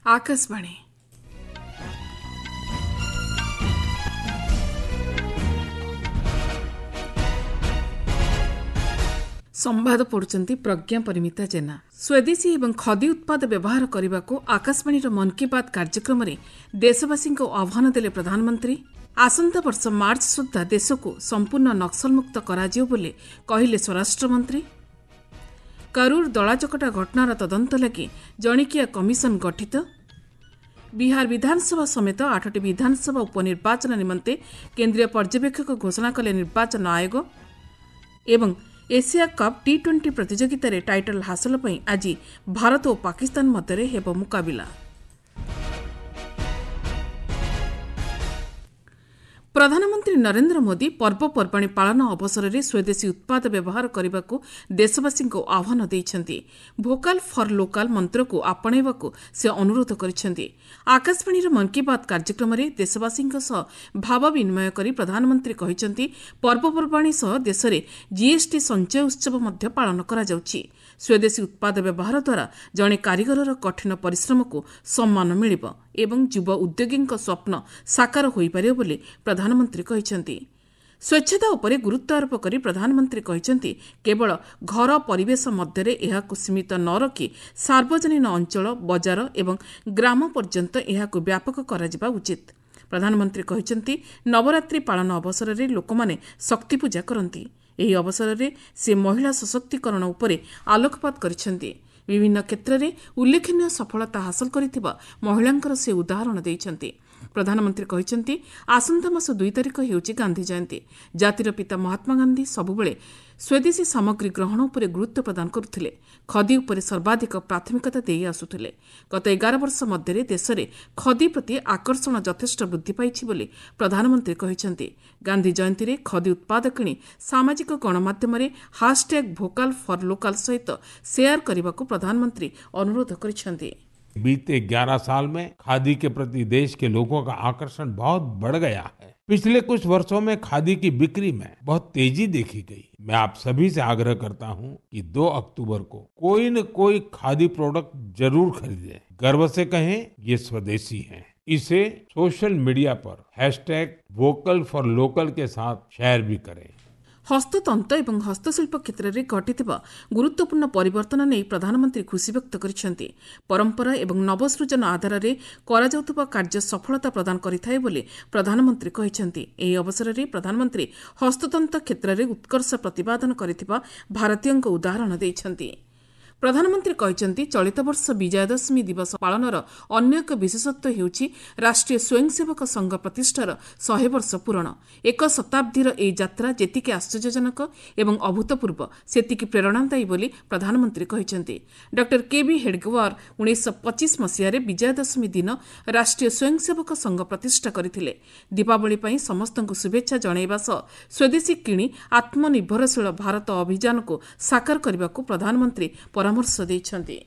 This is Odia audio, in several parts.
ଆକାଶବାଣୀ। ସମ୍ବାଦ ପଢୁଛନ୍ତି ପ୍ରଜ୍ଞା ପରିମିତା ଜେନା। ସ୍ୱଦେଶୀ ଏବଂ ଖଦି ଉତ୍ପାଦ ବ୍ୟବହାର କରିବାକୁ ଆକାଶବାଣୀର ମନ୍ କି ବାତ୍ କାର୍ଯ୍ୟକ୍ରମରେ ଦେଶବାସୀଙ୍କୁ ଆହ୍ୱାନ ଦେଲେ ପ୍ରଧାନମନ୍ତ୍ରୀ। ଆସନ୍ତା ବର୍ଷ ମାର୍ଚ୍ଚ ସୁଦ୍ଧା ଦେଶକୁ ସମ୍ପୂର୍ଣ୍ଣ ନକ୍ସଲମୁକ୍ତ କରାଯିବ ବୋଲି କହିଲେ ସ୍ୱରାଷ୍ଟ୍ରମନ୍ତ୍ରୀ। କରୁର ଦଳାଚକଟା ଘଟଣାର ତଦନ୍ତ ଲାଗି ଜଣିକିଆ କମିଶନ ଗଠିତ। ବିହାର ବିଧାନସଭା ସମେତ 8ଟି ବିଧାନସଭା ଉପନିର୍ବାଚନ ନିମନ୍ତେ କେନ୍ଦ୍ରୀୟ ପର୍ଯ୍ୟବେକ୍ଷକ ଘୋଷଣା କଲେ ନିର୍ବାଚନ ଆୟୋଗ। ଏବଂ ଏସିଆ କପ୍ ଟି-20 ପ୍ରତିଯୋଗିତାରେ ଟାଇଟଲ୍ ହାସଲ ପାଇଁ ଆଜି ଭାରତ ଓ ପାକିସ୍ତାନ ମଧ୍ୟରେ ହେବ ମୁକାବିଲା। ପ୍ରଧାନମନ୍ତ୍ରୀ ନରେନ୍ଦ୍ର ମୋଦି ପର୍ବପର୍ବାଣୀ ପାଳନ ଅବସରରେ ସ୍ୱଦେଶୀ ଉତ୍ପାଦ ବ୍ୟବହାର କରିବାକୁ ଦେଶବାସୀଙ୍କୁ ଆହ୍ୱାନ ଦେଇଛନ୍ତି। ଭୋକାଲ୍ ଫର୍ ଲୋକାଲ୍ ମନ୍ତ୍ରକୁ ଆପଣେଇବାକୁ ସେ ଅନୁରୋଧ କରିଛନ୍ତି। ଆକାଶବାଣୀର ମନ୍ କି ବାତ୍ କାର୍ଯ୍ୟକ୍ରମରେ ଦେଶବାସୀଙ୍କ ସହ ଭାବ ବିନିମୟ କରି ପ୍ରଧାନମନ୍ତ୍ରୀ କହିଛନ୍ତି, ପର୍ବପର୍ବାଣୀ ସହ ଦେଶରେ ଜିଏସ୍ଟି ସଞ୍ଚୟ ଉତ୍ସବ ମଧ୍ୟ ପାଳନ କରାଯାଉଛି। ସ୍ୱଦେଶୀ ଉତ୍ପାଦ ବ୍ୟବହାର ଦ୍ୱାରା ଜଣେ କାରିଗରର କଠିନ ପରିଶ୍ରମକୁ ସମ୍ମାନ ମିଳିବ ଏବଂ ଯୁବ ଉଦ୍ୟୋଗୀଙ୍କ ସ୍ୱପ୍ନ ସାକାର ହୋଇପାରିବ ବୋଲି ପ୍ରଧାନମନ୍ତ୍ରୀ କହିଛନ୍ତି। ସ୍ୱଚ୍ଛତା ଉପରେ ଗୁରୁତ୍ୱ ଆରୋପ କରି ପ୍ରଧାନମନ୍ତ୍ରୀ କହିଛନ୍ତି, କେବଳ ଘର ପରିବେଶ ମଧ୍ୟରେ ଏହାକୁ ସୀମିତ ନ ରଖି ସାର୍ବଜନୀନ ଅଞ୍ଚଳ, ବଜାର ଏବଂ ଗ୍ରାମ ପର୍ଯ୍ୟନ୍ତ ଏହାକୁ ବ୍ୟାପକ କରାଯିବା ଉଚିତ। ପ୍ରଧାନମନ୍ତ୍ରୀ କହିଛନ୍ତି, ନବରାତ୍ରି ପାଳନ ଅବସରରେ ଲୋକମାନେ ଶକ୍ତିପୂଜା କରନ୍ତି। ଏହି ଅବସରରେ ସେ ମହିଳା ସଶକ୍ତିକରଣ ଉପରେ ଆଲୋକପାତ କରିଛନ୍ତି। ବିଭିନ୍ନ କ୍ଷେତ୍ରରେ ଉଲ୍ଲେଖନୀୟ ସଫଳତା ହାସଲ କରିଥିବା ମହିଳାଙ୍କର ସେ ଉଦାହରଣ ଦେଇଛନ୍ତି। ପ୍ରଧାନମନ୍ତ୍ରୀ କହିଛନ୍ତି, ଆସନ୍ତା ମାସ 2 ତାରିଖ ହେଉଛି ଗାନ୍ଧୀ ଜୟନ୍ତୀ। ଜାତିର ପିତା ମହାତ୍ମା ଗାନ୍ଧୀ ସବୁବେଳେ ସ୍ୱଦେଶୀ ସାମଗ୍ରୀ ଗ୍ରହଣ ଉପରେ ଗୁରୁତ୍ୱ ପ୍ରଦାନ କରୁଥିଲେ। ଖଦି ଉପରେ ସର୍ବାଧିକ ପ୍ରାଥମିକତା ଦେଇ ଆସୁଥିଲେ। ଗତ 11 ବର୍ଷ ମଧ୍ୟରେ ଦେଶରେ ଖଦି ପ୍ରତି ଆକର୍ଷଣ ଯଥେଷ୍ଟ ବୃଦ୍ଧି ପାଇଛି ବୋଲି ପ୍ରଧାନମନ୍ତ୍ରୀ କହିଛନ୍ତି। ଗାନ୍ଧୀ ଜୟନ୍ତୀରେ ଖଦି ଉତ୍ପାଦ କିଣି ସାମାଜିକ ଗଣମାଧ୍ୟମରେ ହାସ୍ଟ୍ୟାଗ୍ ଭୋକାଲ୍ ଫର୍ ଲୋକାଲ୍ ସହିତ ସେୟାର କରିବାକୁ ପ୍ରଧାନମନ୍ତ୍ରୀ ଅନୁରୋଧ କରିଛନ୍ତି। बीते 11 साल में खादी के प्रति देश के लोगों का आकर्षण बहुत बढ़ गया है। पिछले कुछ वर्षों में खादी की बिक्री में बहुत तेजी देखी गई। मैं आप सभी से आग्रह करता हूं कि 2 अक्टूबर को कोई न कोई खादी प्रोडक्ट जरूर खरीदें। गर्व से कहें ये स्वदेशी है। इसे सोशल मीडिया पर हैशटैग वोकल फॉर लोकल के साथ शेयर भी करें। ହସ୍ତତନ୍ତ ଏବଂ ହସ୍ତଶିଳ୍ପ କ୍ଷେତ୍ରରେ ଘଟିଥିବା ଗୁରୁତ୍ୱପୂର୍ଣ୍ଣ ପରିବର୍ତ୍ତନ ନେଇ ପ୍ରଧାନମନ୍ତ୍ରୀ ଖୁସି ବ୍ୟକ୍ତ କରିଛନ୍ତି। ପରମ୍ପରା ଏବଂ ନବସୃଜନ ଆଧାରରେ କରାଯାଉଥିବା କାର୍ଯ୍ୟ ସଫଳତା ପ୍ରଦାନ କରିଥାଏ ବୋଲି ପ୍ରଧାନମନ୍ତ୍ରୀ କହିଛନ୍ତି। ଏହି ଅବସରରେ ପ୍ରଧାନମନ୍ତ୍ରୀ ହସ୍ତତନ୍ତ କ୍ଷେତ୍ରରେ ଉତ୍କର୍ଷ ପ୍ରତିପାଦନ କରିଥିବା ଭାରତୀୟଙ୍କ ଉଦାହରଣ ଦେଇଛନ୍ତି। ପ୍ରଧାନମନ୍ତ୍ରୀ କହିଛନ୍ତି, ଚଳିତ ବର୍ଷ ବିଜୟାଦଶମୀ ଦିବସ ପାଳନର ଅନ୍ୟ ଏକ ବିଶେଷତ୍ୱ ହେଉଛି ରାଷ୍ଟ୍ରୀୟ ସ୍ୱୟଂସେବକ ସଂଘ ପ୍ରତିଷ୍ଠାର 100 ବର୍ଷ ପୂରଣ। ଏକ ଶତାବ୍ଦୀର ଏହି ଯାତ୍ରା ଯେତିକି ଆଶ୍ଚର୍ଯ୍ୟଜନକ ଏବଂ ଅଭୂତପୂର୍ବ, ସେତିକି ପ୍ରେରଣାଦାୟୀ ବୋଲି ପ୍ରଧାନମନ୍ତ୍ରୀ କହିଛନ୍ତି। ଡକ୍ଟର କେ ବି ହେଡଗେୱାର 1925 ମସିହାରେ ବିଜୟାଦଶମୀ ଦିନ ରାଷ୍ଟ୍ରୀୟ ସ୍ୱୟଂସେବକ ସଂଘ ପ୍ରତିଷ୍ଠା କରିଥିଲେ। ଦୀପାବଳି ପାଇଁ ସମସ୍ତଙ୍କୁ ଶୁଭେଚ୍ଛା ଜଣାଇବା ସହ ସ୍ୱଦେଶୀ କିଣି ଆତ୍ମନିର୍ଭରଶୀଳ ଭାରତ ଅଭିଯାନକୁ ସାକାର କରିବାକୁ ପ୍ରଧାନମନ୍ତ୍ରୀ ପରାମର୍ଶ ଦେଇଛନ୍ତି।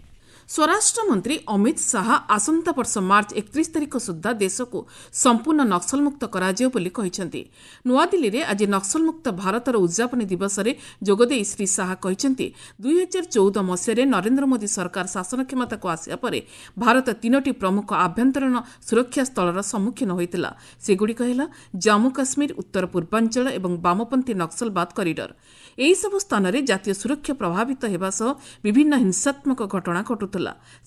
ସ୍ୱରାଷ୍ଟ୍ରମନ୍ତ୍ରୀ ଅମିତ ଶାହା ଆସନ୍ତା ବର୍ଷ ମାର୍ଚ୍ଚ 31 ତାରିଖ ସୁଦ୍ଧା ଦେଶକୁ ସମ୍ପୂର୍ଣ୍ଣ ନକ୍ସଲମୁକ୍ତ କରାଯିବ ବୋଲି କହିଛନ୍ତି। ନୂଆଦିଲ୍ଲୀରେ ଆଜି ନକ୍ସଲମୁକ୍ତ ଭାରତର ଉଦ୍ଯାପନୀ ଦିବସରେ ଯୋଗଦେଇ ଶ୍ରୀ ଶାହା କହିଛନ୍ତି, 2014 ମସିହାରେ ନରେନ୍ଦ୍ର ମୋଦି ସରକାର ଶାସନ କ୍ଷମତାକୁ ଆସିବା ପରେ ଭାରତ 3ଟି ପ୍ରମୁଖ ଆଭ୍ୟନ୍ତରୀଣ ସୁରକ୍ଷା ସ୍ଥଳର ସମ୍ମୁଖୀନ ହୋଇଥିଲା। ସେଗୁଡ଼ିକ ହେଲା ଜାମ୍ମୁ କାଶ୍ମୀର, ଉତ୍ତର ପୂର୍ବାଞ୍ଚଳ ଏବଂ ବାମପନ୍ଥୀ ନକ୍ସଲବାଦ କରିଡର। ଏହିସବୁ ସ୍ଥାନରେ ଜାତୀୟ ସୁରକ୍ଷା ପ୍ରଭାବିତ ହେବା ସହ ବିଭିନ୍ନ ହିଂସାତ୍ମକ ଘଟଣା ଘଟୁଥିଲା।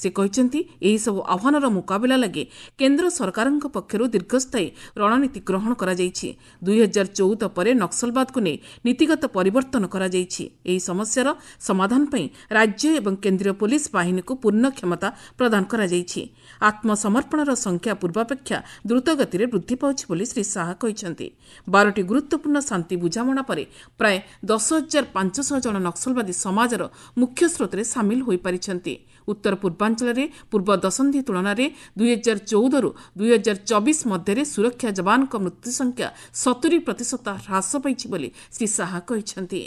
ସେ କହିଛନ୍ତି, ଏହିସବୁ ଆହ୍ୱାନର ମୁକାବିଲା ଲାଗି କେନ୍ଦ୍ର ସରକାରଙ୍କ ପକ୍ଷରୁ ଦୀର୍ଘସ୍ଥାୟୀ ରଣନୀତି ଗ୍ରହଣ କରାଯାଇଛି। 2014 ପରେ ନକ୍ସଲବାଦକୁ ନେଇ ନୀତିଗତ ପରିବର୍ତ୍ତନ କରାଯାଇଛି। ଏହି ସମସ୍ୟାର ସମାଧାନ ପାଇଁ ରାଜ୍ୟ ଏବଂ କେନ୍ଦ୍ରୀୟ ପୋଲିସ ବାହିନୀକୁ ପୂର୍ଣ୍ଣ କ୍ଷମତା ପ୍ରଦାନ କରାଯାଇଛି। ଆତ୍ମସମର୍ପଣର ସଂଖ୍ୟା ପୂର୍ବାପେକ୍ଷା ଦ୍ରୁତଗତିରେ ବୃଦ୍ଧି ପାଉଛି ବୋଲି ଶ୍ରୀ ଶାହା କହିଛନ୍ତି। 12ଟି ଗୁରୁତ୍ୱପୂର୍ଣ୍ଣ ଶାନ୍ତି ବୁଝାମଣା ପରେ ପ୍ରାୟ 10,500 ଜଣ ନକ୍ସଲବାଦୀ ସମାଜର ମୁଖ୍ୟ ସ୍ରୋତରେ ସାମିଲ ହୋଇପାରିଛନ୍ତି। ଉତ୍ତର ପୂର୍ବାଞ୍ଚଳରେ ପୂର୍ବ ଦଶନ୍ଧି ତୁଳନାରେ 2014ରୁ 2024 ମଧ୍ୟରେ ସୁରକ୍ଷା ଯବାନଙ୍କ ମୃତ୍ୟୁ ସଂଖ୍ୟା 70% ହ୍ରାସ ପାଇଛି ବୋଲି ଶ୍ରୀ ଶାହା କହିଛନ୍ତି।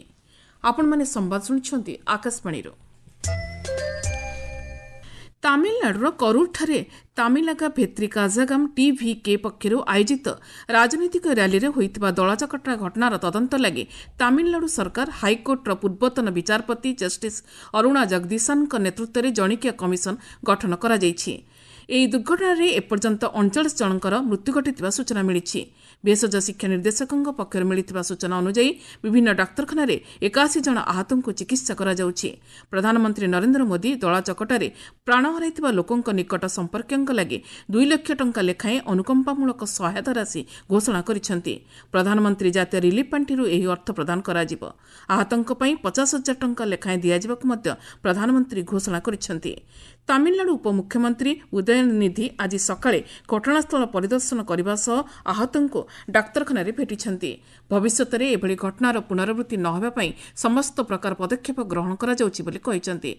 ଆପଣମାନେ ସମ୍ବାଦ ଶୁଣୁଛନ୍ତି ଆକାଶବାଣୀରୁ। ତାମିଲନାଡୁର କରୁରଠାରେ ତାମିଲାଗା ଭେତ୍ରୀ କାଜାଗାମ ଟିଭିକେ ପକ୍ଷରୁ ଆୟୋଜିତ ରାଜନୈତିକ ର୍ୟାଲିରେ ହୋଇଥିବା ଦଳାଚକଟା ଘଟଣାର ତଦନ୍ତ ଲାଗି ତାମିଲନାଡୁ ସରକାର ହାଇକୋର୍ଟର ପୂର୍ବତନ ବିଚାରପତି ଜଷ୍ଟିସ୍ ଅରୁଣା ଜଗଦୀଶନଙ୍କ ନେତୃତ୍ୱରେ ଜଣିକିଆ କମିଶନ ଗଠନ କରାଯାଇଛି। ଏହି ଦୁର୍ଘଟଣାରେ ଏପର୍ଯ୍ୟନ୍ତ 39 ଜଣଙ୍କର ମୃତ୍ୟୁ ଘଟିଥିବା ସୂଚନା ମିଳିଛି। ଭେଷଜ ଶିକ୍ଷା ନିର୍ଦ୍ଦେଶକଙ୍କ ପକ୍ଷରୁ ମିଳିଥିବା ସୂଚନା ଅନୁଯାୟୀ ବିଭିନ୍ନ ଡାକ୍ତରଖାନାରେ 81 ଜଣ ଆହତଙ୍କୁ ଚିକିତ୍ସା କରାଯାଉଛି। ପ୍ରଧାନମନ୍ତ୍ରୀ ନରେନ୍ଦ୍ର ମୋଦି ଦଳାଚକଟାରେ ପ୍ରାଣ ହରାଇଥିବା ଲୋକଙ୍କ ନିକଟ ସମ୍ପର୍କୀୟଙ୍କ ଲାଗି 2 ଲକ୍ଷ ଟଙ୍କା ଲେଖାଏଁ ଅନୁକମ୍ପାମୂଳକ ସହାୟତା ରାଶି ଘୋଷଣା କରିଛନ୍ତି। ପ୍ରଧାନମନ୍ତ୍ରୀ ଜାତୀୟ ରିଲିଫ୍ ପାଣ୍ଠିରୁ ଏହି ଅର୍ଥ ପ୍ରଦାନ କରାଯିବ। ଆହତଙ୍କ ପାଇଁ 50 ହଜାର ଟଙ୍କା ଲେଖାଏଁ ଦିଆଯିବାକୁ ମଧ୍ୟ ପ୍ରଧାନମନ୍ତ୍ରୀ ଘୋଷଣା କରିଛନ୍ତି। ତାମିଲନାଡୁ ଉପମୁଖ୍ୟମନ୍ତ୍ରୀ ଉଦୟନିଧି ଆଜି ସକାଳେ ଘଟଣାସ୍ଥଳ ପରିଦର୍ଶନ କରିବା ସହ ଆହତଙ୍କୁ ଡାକ୍ତରଖାନାରେ ଭେଟିଛନ୍ତି। ଭବିଷ୍ୟତରେ ଏଭଳି ଘଟଣାର ପୁନରାବୃତ୍ତି ନ ହେବା ପାଇଁ ସମସ୍ତ ପ୍ରକାର ପଦକ୍ଷେପ ଗ୍ରହଣ କରାଯାଉଛି ବୋଲି କହିଛନ୍ତି।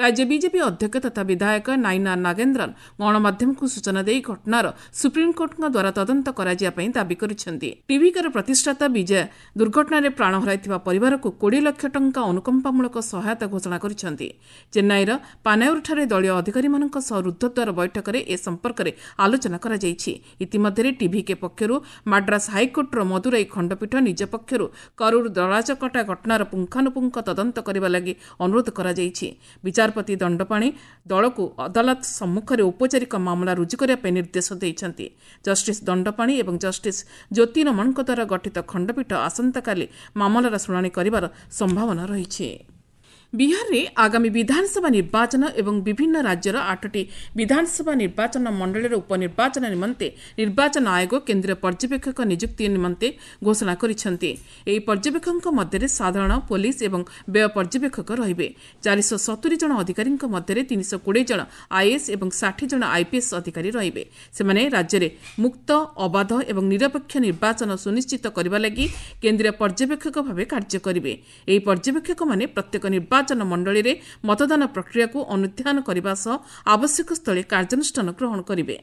ରାଜ୍ୟ ବିଜେପି ଅଧ୍ୟକ୍ଷ ତଥା ବିଧାୟକ ନାଇନା ନାଗେନ୍ଦ୍ରନ୍ ଗଣମାଧ୍ୟମକୁ ସୂଚନା ଦେଇ ଘଟଣାର ସୁପ୍ରିମକୋର୍ଟଙ୍କ ଦ୍ୱାରା ତଦନ୍ତ କରାଯିବା ପାଇଁ ଦାବି କରିଛନ୍ତି। ଟିଭିକାର ପ୍ରତିଷ୍ଠାତା ବିଜୟ ଦୁର୍ଘଟଣାରେ ପ୍ରାଣ ହରାଇଥିବା ପରିବାରକୁ 20 ଲକ୍ଷ ଟଙ୍କା ଅନୁକମ୍ପାମୂଳକ ସହାୟତା ଘୋଷଣା କରିଛନ୍ତି। ଚେନ୍ନାଇର ପାନାୟୁରଠାରେ ଦଳୀୟ ଅଧିକାରୀମାନଙ୍କ ସହ ରୁଦ୍ଧଦ୍ୱାର ବୈଠକରେ ଏ ସମ୍ପର୍କରେ ଆଲୋଚନା କରାଯାଇଛି। ଇତିମଧ୍ୟରେ ଟିଭିକେ ପକ୍ଷରୁ ମାଡ୍ରାସ ହାଇକୋର୍ଟର ମଦୁରାଇ ଖଣ୍ଡପୀଠ ନିଜ ପକ୍ଷରୁ କରୁର ଦଳାଚକଟା ଘଟଣାର ପୁଙ୍ଖାନୁପୁଙ୍ଖ ତଦନ୍ତ କରିବା ଲାଗି ଅନୁରୋଧ କରାଯାଇଛି। ବିଚାରପତି ଦଣ୍ଡପାଣି ଦଳକୁ ଅଦାଲତ ସମ୍ମୁଖରେ ଔପଚାରିକ ମାମଲା ରୁଜୁ କରିବା ପାଇଁ ନିର୍ଦ୍ଦେଶ ଦେଇଛନ୍ତି। ଜଷ୍ଟିସ୍ ଦଣ୍ଡପାଣି ଏବଂ ଜଷ୍ଟିସ୍ ଜ୍ୟୋତି ରମଣଙ୍କ ଦ୍ୱାରା ଗଠିତ ଖଣ୍ଡପୀଠ ଆସନ୍ତାକାଲି ମାମଲାର ଶୁଣାଣି କରିବାର ସମ୍ଭାବନା ରହିଛି। ବିହାରରେ ଆଗାମୀ ବିଧାନସଭା ନିର୍ବାଚନ ଏବଂ ବିଭିନ୍ନ ରାଜ୍ୟର 8ଟି ବିଧାନସଭା ନିର୍ବାଚନ ମଣ୍ଡଳୀର ଉପନିର୍ବାଚନ ନିମନ୍ତେ ନିର୍ବାଚନ ଆୟୋଗ କେନ୍ଦ୍ରୀୟ ପର୍ଯ୍ୟବେକ୍ଷକ ନିଯୁକ୍ତି ନିମନ୍ତେ ଘୋଷଣା କରିଛନ୍ତି। ଏହି ପର୍ଯ୍ୟବେକ୍ଷକଙ୍କ ମଧ୍ୟରେ ସାଧାରଣ, ପୋଲିସ ଏବଂ ବ୍ୟୟ ପର୍ଯ୍ୟବେକ୍ଷକ ରହିବେ। 470 ଜଣ ଅଧିକାରୀଙ୍କ ମଧ୍ୟରେ 320 ଜଣ ଆଇଏଏସ୍ ଏବଂ 60 ଜଣ ଆଇପିଏସ୍ ଅଧିକାରୀ ରହିବେ। ସେମାନେ ରାଜ୍ୟରେ ମୁକ୍ତ, ଅବାଧ ଏବଂ ନିରପେକ୍ଷ ନିର୍ବାଚନ ସୁନିଶ୍ଚିତ କରିବା ଲାଗି କେନ୍ଦ୍ରୀୟ ପର୍ଯ୍ୟବେକ୍ଷକ ଭାବେ କାର୍ଯ୍ୟ କରିବେ। ଏହି ପର୍ଯ୍ୟବେକ୍ଷକମାନେ ପ୍ରତ୍ୟେକ ନିର୍ବାଚନ ମଣ୍ଡଳୀରେ ମତଦାନ ପ୍ରକ୍ରିୟାକୁ ଅନୁଧ୍ୟାନ କରିବା ସହ ଆବଶ୍ୟକ ସ୍ଥଳେ କାର୍ଯ୍ୟାନୁଷ୍ଠାନ ଗ୍ରହଣ କରିବେ।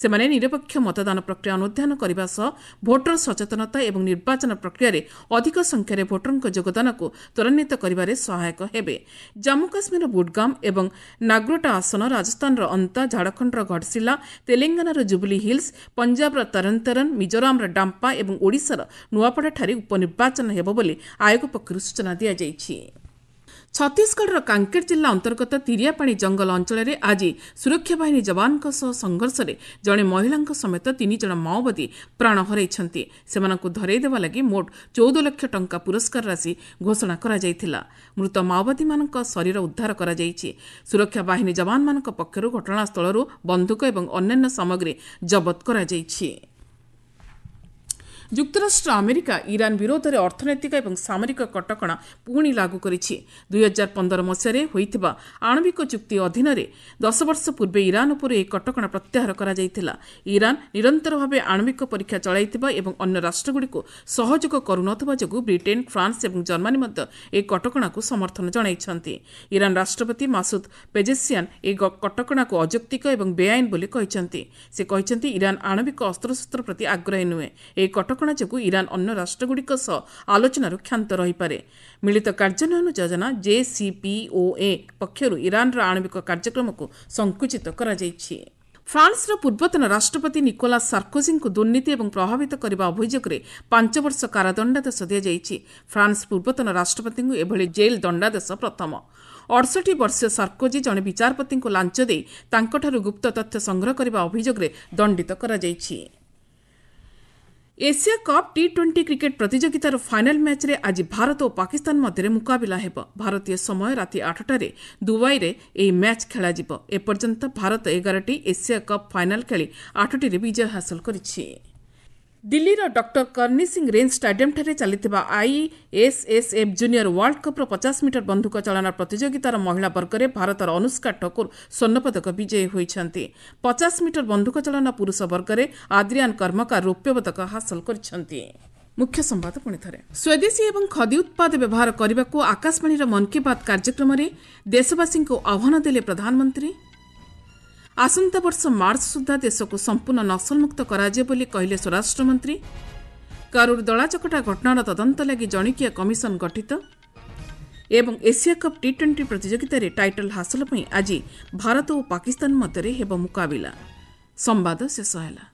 ସେମାନେ ନିରପେକ୍ଷ ମତଦାନ ପ୍ରକ୍ରିୟା ଅନୁଧ୍ୟାନ କରିବା ସହ ଭୋଟର ସଚେତନତା ଏବଂ ନିର୍ବାଚନ ପ୍ରକ୍ରିୟାରେ ଅଧିକ ସଂଖ୍ୟାରେ ଭୋଟରଙ୍କ ଯୋଗଦାନକୁ ତ୍ୱରାନ୍ୱିତ କରିବାରେ ସହାୟକ ହେବେ। ଜାମ୍ମୁ କାଶ୍ମୀରର ବୁଡଗାମ ଏବଂ ନାଗ୍ରୋଟା ଆସନ, ରାଜସ୍ଥାନର ଅନ୍ତା, ଝାଡ଼ଖଣ୍ଡର ଘଟଶିଲା, ତେଲେଙ୍ଗାନାର ଜୁବୁଲି ହିଲ୍ସ, ପଞ୍ଜାବର ତରନତରନ, ମିଜୋରାମର ଡାମ୍ପା ଏବଂ ଓଡ଼ିଶାର ନୂଆପଡ଼ାଠାରେ ଉପନିର୍ବାଚନ ହେବ ବୋଲି ଆୟୋଗ ପକ୍ଷରୁ ସୂଚନା ଦିଆଯାଇଛି। ଛତିଶଗଡ଼ର କାଙ୍କେର ଜିଲ୍ଲା ଅନ୍ତର୍ଗତ ତିରିଆପାଣି ଜଙ୍ଗଲ ଅଞ୍ଚଳରେ ଆଜି ସୁରକ୍ଷା ବାହିନୀ ଯବାନଙ୍କ ସହ ସଂଘର୍ଷରେ ଜଣେ ମହିଳାଙ୍କ ସମେତ 3 ଜଣ ମାଓବାଦୀ ପ୍ରାଣ ହରାଇଛନ୍ତି। ସେମାନଙ୍କୁ ଧରାଇ ଦେବା ଲାଗି ମୋଟ 14 ଲକ୍ଷ ଟଙ୍କା ପୁରସ୍କାର ରାଶି ଘୋଷଣା କରାଯାଇଥିଲା। ମୃତ ମାଓବାଦୀମାନଙ୍କ ଶରୀର ଉଦ୍ଧାର କରାଯାଇଛି। ସୁରକ୍ଷା ବାହିନୀ ଯବାନମାନଙ୍କ ପକ୍ଷରୁ ଘଟଣାସ୍ଥଳରୁ ବନ୍ଧୁକ ଏବଂ ଅନ୍ୟାନ୍ୟ ସାମଗ୍ରୀ ଜବତ କରାଯାଇଛି। ଯୁକ୍ତରାଷ୍ଟ୍ର ଆମେରିକା ଇରାନ ବିରୋଧରେ ଅର୍ଥନୈତିକ ଏବଂ ସାମରିକ କଟକଣା ପୁଣି ଲାଗୁ କରିଛି। 2015 ମସିହାରେ ହୋଇଥିବା ଆଣବିକ ଚୁକ୍ତି ଅଧୀନରେ 10 ବର୍ଷ ପୂର୍ବେ ଇରାନ ଉପରୁ ଏହି କଟକଣା ପ୍ରତ୍ୟାହାର କରାଯାଇଥିଲା। ଇରାନ ନିରନ୍ତର ଭାବେ ଆଣବିକ ପରୀକ୍ଷା ଚଳାଇଥିବା ଏବଂ ଅନ୍ୟ ରାଷ୍ଟ୍ରଗୁଡ଼ିକୁ ସହଯୋଗ କରୁନଥିବା ଯୋଗୁଁ ବ୍ରିଟେନ୍, ଫ୍ରାନ୍ସ ଏବଂ ଜର୍ମାନୀ ମଧ୍ୟ ଏହି କଟକଣାକୁ ସମର୍ଥନ ଜଣାଇଛନ୍ତି। ଇରାନ ରାଷ୍ଟ୍ରପତି ମାସୁଦ ପେଜେସିଆନ୍ ଏହି କଟକଣାକୁ ଅଯୌକ୍ତିକ ଏବଂ ବେଆଇନ ବୋଲି କହିଛନ୍ତି। ସେ କହିଛନ୍ତି, ଇରାନ ଆଣବିକ ଅସ୍ତ୍ରଶସ୍ତ୍ର ପ୍ରତି ଆଗ୍ରହୀ ନୁହେଁ। ଏହି କଟକଣା ଯୋଗୁଁ ଇରାନ ଅନ୍ୟ ରାଷ୍ଟ୍ରଗୁଡ଼ିକ ସହ ଆଲୋଚନାରୁ କ୍ଷାନ୍ତ ରହିପାରେ। ମିଳିତ କାର୍ଯ୍ୟାନ୍ୱୟନ ଯୋଜନା JCPOA ପକ୍ଷରୁ ଇରାନର ଆଣବିକ କାର୍ଯ୍ୟକ୍ରମକୁ ସଂକୁଚିତ କରାଯାଇଛି। ଫ୍ରାନ୍ସର ପୂର୍ବତନ ରାଷ୍ଟ୍ରପତି ନିକୋଲାସ୍ ସାର୍କୋଜିଙ୍କୁ ଦୁର୍ନୀତି ଏବଂ ପ୍ରଭାବିତ କରିବା ଅଭିଯୋଗରେ 5 ବର୍ଷ କାରାଦଣ୍ଡାଦେଶ ଦିଆଯାଇଛି। ଫ୍ରାନ୍ସ ପୂର୍ବତନ ରାଷ୍ଟ୍ରପତିଙ୍କୁ ଏଭଳି ଜେଲ୍ ଦଣ୍ଡାଦେଶ ପ୍ରଥମ। 68 ବର୍ଷୀୟ ସାର୍କୋଜି ଜଣେ ବିଚାରପତିଙ୍କୁ ଲାଞ୍ଚ ଦେଇ ତାଙ୍କଠାରୁ ଗୁପ୍ତ ତଥ୍ୟ ସଂଗ୍ରହ କରିବା ଅଭିଯୋଗରେ ଦଣ୍ଡିତ କରାଯାଇଛି। ଏସିଆ କପ୍ ଟି-20 କ୍ରିକେଟ୍ ପ୍ରତିଯୋଗିତାର ଫାଇନାଲ୍ ମ୍ୟାଚ୍ରେ ଆଜି ଭାରତ ଓ ପାକିସ୍ତାନ ମଧ୍ୟରେ ମୁକାବିଲା ହେବ। ଭାରତୀୟ ସମୟ ରାତି 8ଟାରେ ଦୁବାଇରେ ଏହି ମ୍ୟାଚ୍ ଖେଳାଯିବ। ଏପର୍ଯ୍ୟନ୍ତ ଭାରତ 11ଟି ଏସିଆ କପ୍ ଫାଇନାଲ୍ ଖେଳି 8ଟିରେ ବିଜୟ ହାସଲ କରିଛି। ଦିଲ୍ଲୀର ଡକ୍ଟର କର୍ଣ୍ଣି ସିଂ ରେଞ୍ଜ ଷ୍ଟାଡିୟମ୍ଠାରେ ଚାଲିଥିବା ଆଇଏସ୍ଏସ୍ଏଫ୍ ଜୁନିୟର ୱାର୍ଲଡ କପ୍ର 50 ମିଟର ବନ୍ଧୁକ ଚାଳନା ପ୍ରତିଯୋଗିତାର ମହିଳା ବର୍ଗରେ ଭାରତର ଅନୁଷ୍କା ଠକୁର ସ୍ୱର୍ଣ୍ଣପଦକ ବିଜୟୀ ହୋଇଛନ୍ତି। 50 ମିଟର ବନ୍ଧୁକ ଚାଳନା ପୁରୁଷ ବର୍ଗରେ ଆଦ୍ରିଆନ୍ କର୍ମକାର ରୌପ୍ୟ ପଦକ ହାସଲ କରିଛନ୍ତି। ମୁଖ୍ୟ ସମ୍ବାଦ ପୁଣି ଥରେ। ସ୍ୱଦେଶୀ ଏବଂ ଖଦି ଉତ୍ପାଦ ବ୍ୟବହାର କରିବାକୁ ଆକାଶବାଣୀର ମନ୍ କି ବାତ୍ କାର୍ଯ୍ୟକ୍ରମରେ ଦେଶବାସୀଙ୍କୁ ଆହ୍ୱାନ ଦେଲେ ପ୍ରଧାନମନ୍ତ୍ରୀ। ଆସନ୍ତା ବର୍ଷ ମାର୍ଚ୍ଚ ସୁଦ୍ଧା ଦେଶକୁ ସମ୍ପୂର୍ଣ୍ଣ ନକ୍ସଲମୁକ୍ତ କରାଯିବ ବୋଲି କହିଲେ ସ୍ୱରାଷ୍ଟ୍ରମନ୍ତ୍ରୀ। କରୁର ଦଳାଚକଟା ଘଟଣାର ତଦନ୍ତ ଲାଗି ଜଣିକିଆ କମିଶନ ଗଠିତ। ଏବଂ ଏସିଆ କପ୍ ଟି-20 ପ୍ରତିଯୋଗିତାରେ ଟାଇଟଲ୍ ହାସଲ ପାଇଁ ଆଜି ଭାରତ ଓ ପାକିସ୍ତାନ ମଧ୍ୟରେ ହେବ ମୁକାବିଲା। ସମ୍ବାଦ ଶେଷ ହେଲା।